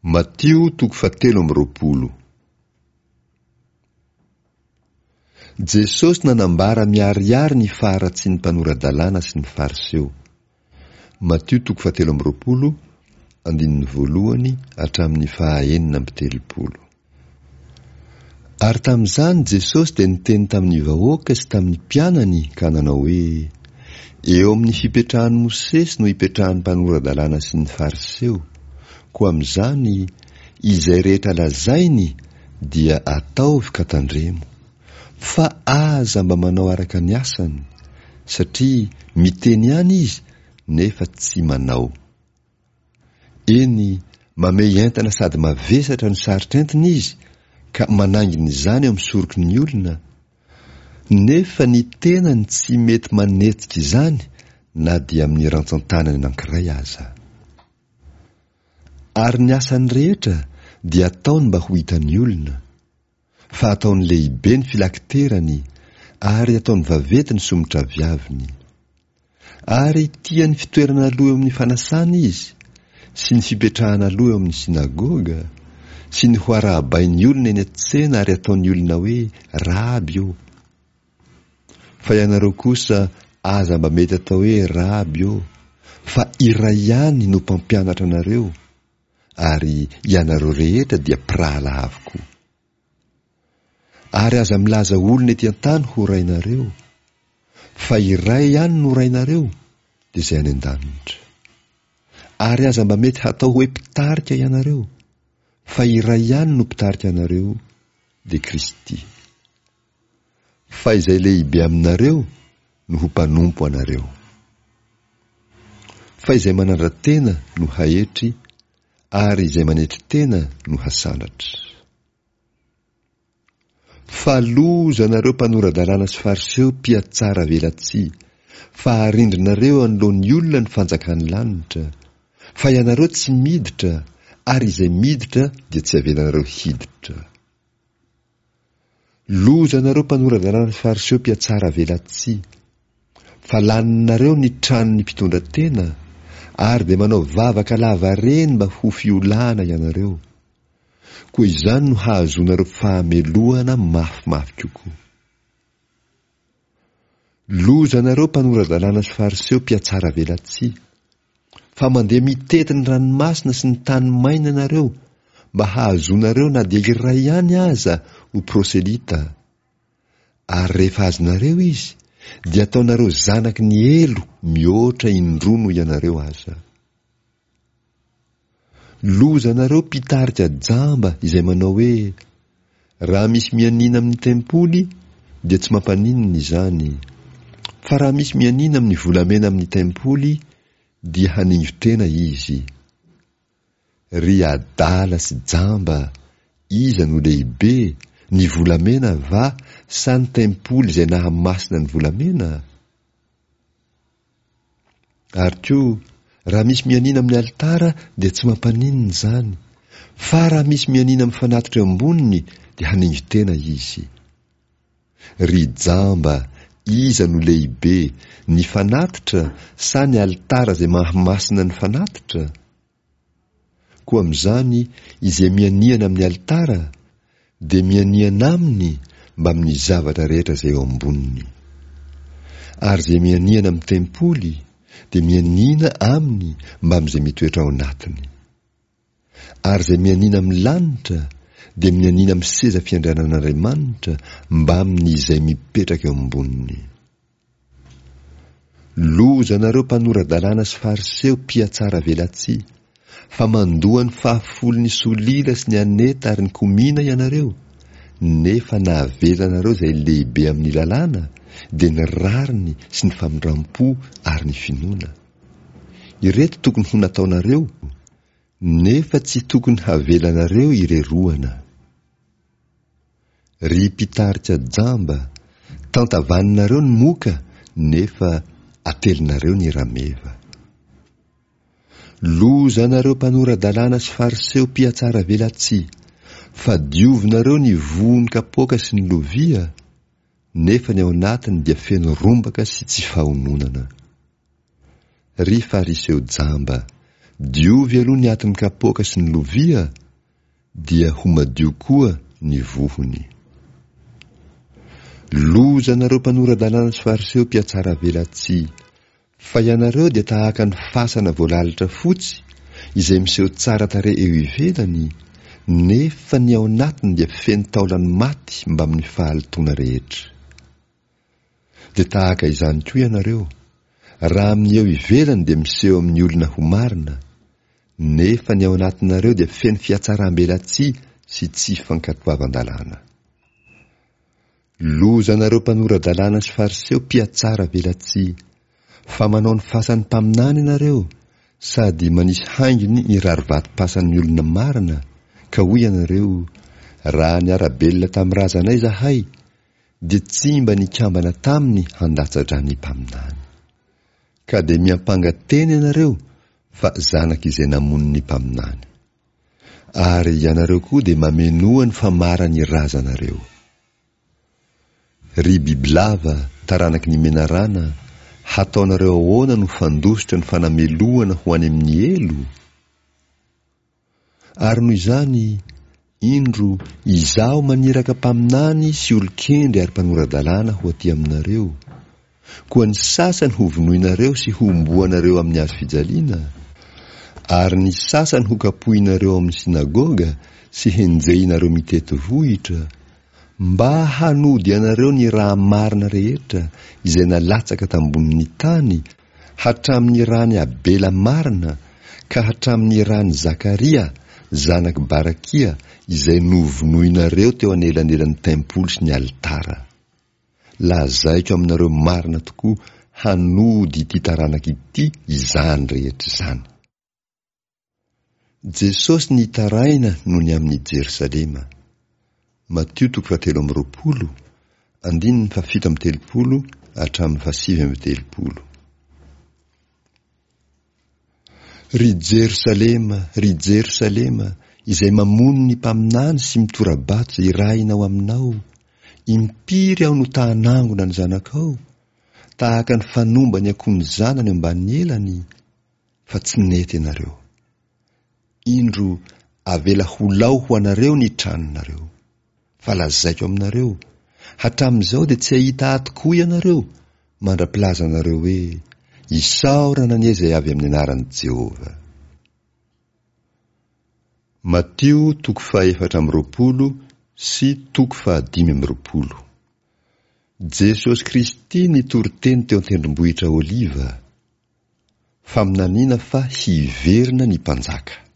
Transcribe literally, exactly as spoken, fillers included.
Matio toko fahatelo amby roapolo. Jesosy nanambara miharihary ny faharatsian'ny mpanora-dalàna sy ny Fariseo. Matio toko fahatelo amby roapolo, andininy voalohany hatramin'ny fahaenina amby telopolo. Ary tamin'izany Jesosy dia niteny tamin'ny vahoaka sy tamin'ny mpianany ka nanao hoe: Eo amin'ny fipetrahan'i Mosesy no ipetrahan'ny mpanora-dalàna sy ny Fariseo. Koa amin'izany, izay rehetra lazainy dia ataovy ka tandremo. Fa aza mba manao araka ny asany, satria miteny ihany izy nefa tsy manao. Eny, mamehy entana sady mavesatra no sarotra entina izy ka manaingina izany eo amin'ny soroky ny olona, nefa ny tenany tsy mety manetsika izany na dia amin'ny rantsan-tanany anankiray aza. Ary ny asany rehetra dia ataony mba ho hitan'ny olona, fa ataony lehibe ny filakiterany ary ataony vaventy ny somotraviaviny. Ary tia ny fitoerana aloha eo amin'ny fanasana izy, sy ny fipetrahana aloha eo amin'ny synagoga, sy ny ho arahabain'ny olona eny an-tsena ary ataon'ny olona hoe Raby ô. Fa ianareo kosa aza mba mety atao hoe Raby ô, fa iray ihany no mpampianatra anareo, ary ianareo rehetra dia mpirahalahy avokoa. Ary aza milaza olona ety an-tany ho rainareo, fa iray ihany no rainareo, dia izay any an-danitra. Ary aza mba mety hatao hoe mpitarika ianareo, fa iray ihany no mpitarika anareo, dia Kristy. Fa izay lehibe aminareo no ho mpanompo anareo. Fa izay manandra-tena no haetry, ary izay manetry tena no hasandratra. Fa loza anareo mpanora-dalàna sy Fariseo mpihatsara velatsihy, fa arindrinareo anoloan'ny olona ny fanjakan'ny lanitra, fa ianareo tsy miditra, ary izay miditra dia tsy avelanareo hiditra. Loza anareo mpanora-dalàna sy Fariseo mpihatsara velatsihy, fa laninareo ny tranon'ny mpitondra tena, ary dia manao vavaka lavareny mba ho fiolahana ianareo. Koa izany no hahazoanareo fahamelohana mafimafy kokoa. Loza anareo mpanora-dalàna sy Fariseo mpihatsara velatsihy, fa mandeha mitety ny ranomasina sy ny tany maina ianareo mba hahazoanareo na dia iray ihany aza ho proselita. Ary rehefa azonareo izy, dia ataonareo zanaky ny helo mihoatra indroa noho ianareo aza. Loza anareo mpitarika jamba izay manao hoe: Raha misy mianiana amin'ny tempoly dia tsy mampaninona izany, fa raha misy mianiana amin'ny volamena amin'ny tempoly dia haningo-tena izy. Ry adala sy jamba, iza no lehibe, ny volamena va sa ny tempoly izay nahamasina ny volamena? Ary koa, raha misy mianiana amin'ny alitara dia tsy mampaninona izany, fa raha misy mianiana amin'ny fanatitra eo amboniny dia haningo-tena izy. Ry jamba, iza no lehibe, ny fanatitra sa ny alitara izay mahamasina ny fanatitra? Koa amin'izany izay mianiana amin'ny alitara dia mianiana aminy mbamin'ny zavatra rehetra izay eo amboniny. Ary izay mianiana amin'ny tempoly dia mianiana aminy mbamin'izay mitoetra ao anatiny. Ary izay mianiana amin'ny lanitra dia mianiana amin'ny seza fiandrianan'Andriamanitra mbamin'izay mipetraka eo amboniny. Loza anareo mpanora-dalàna sy Fariseo mpihatsara velatsihy, fa mandoa ny fahafolon'ny solila sy ny aneta ary ny komina ianareo, nefa nahavelanareo izay lehibe amin'ny lalàna, dia ny rariny sy ny famindram-po ary ny finoana. Ireto tokony ho nataonareo, nefa tsy tokony havelanareo ireroana. Ry mpitarika jamba, tantavaninareo ny moka nefa atelinareo ny rameva. Loza anareo mpanora-dalàna sy Fariseo mpihatsara velatsihy, fa diovinareo ny vohon'ny kapoaka sy ny lovia, nefa ny ao anatiny dia feno rombaka sy tsy fahononana. Ry Fariseo jamba, Diovy aloha ny atin'ny kapoaka sy ny lovia, dia ho madio koa ny vohony. Loza anareo mpanora-dalàna sy Fariseo mpihatsaravelatsihy, fa ianareo dia tahaka ny fasana voalalitra fotsy izay miseho tsara tarehy eo ivelany, nefa ny ao anatiny dia feno taolan'ny maty mbamin'ny fahalotoana rehetra. Dia tahaka izany koa ianareo, raha amin'ny eo ivelany dia miseho amin'ny olona ho marina, nefa ny ao anatinareo dia feno fihatsaram-belatsihy sy tsy fankatoavan-dalàna. Loza anareo mpanora-dalàna sy Fariseo mpihatsara velatsihy, fa manao ny fasan'ny mpaminany ianareo, sady manisy haingony ny rarivatom-pasan'ny olona marina, ka hoy ianareo, Raha niara-belona tamin'ny razanay izahay, dia tsy mba nikambana taminy handatsa-dra ny mpaminany. Ka dia miampanga tena ianareo fa zanak'izay namono ny mpaminany. Ary ianareo koa dia mamenoa ny famaran'ny razanareo. Ry bibilava, taranaky ny menarana, hataonareo ahoana no fandositra ny fanamelohana ho any amin'ny helo? Ary noho izany, indro, Izaho maniraka mpaminany sy olon-kendry ary mpanora-dalàna ho aty aminareo. Koa ny sasany hovonoinareo sy hohomboanareo amin'ny hazo fijaliana, ary ny sasany hokapohinareo ao amin'ny synagoga sy henjehinareo mitety vohitra, mba hanody anareo ny raha marina rehetra izay nalatsaka tambonin'ny tany, hatramin'ny ran'i Abela marina ka hatramin'ny ran'i Zakaria, zanak'i Barakia, izay novonoinareo teo anelanelan'ny tempoly sy ny alitara. Lazaiko aminareo marina tokoa, hanody ity taranaka ity izany rehetra izany. Jesosy nitaraina noho ny amin'i Jerosalema. Matio toko fahatelo amby roapolo, andininy fahafito amby telopolo hatramin'ny fahasivy amby telopolo. Ry Jerosalema, ry Jerosalema, izay mamono ny mpaminany sy mitora-bato izay irahina ho aminao, impiry aho no ta-hanangona ny zanakao, tahaka ny fanomba ny akoho ny zanany eo ambanin'ny elany, fa tsy nety ianareo. Indro, avela ho lao ho anareo ny tranonareo. Fa lazaiko aminareo, hatramin'izao dia tsy hahita ahy tokoa ianareo, mandra-pilazanareo hoe, Isaorana anie izay avy amin'ny anaran'i Jehovah. Matio toko fahefatra amby roapolo sy toko fahadimy amby roapolo. Jesosy Kristy nitory teny teo an-tendrombohitra Oliva. Faminaniana fa hiverina ny mpanjaka.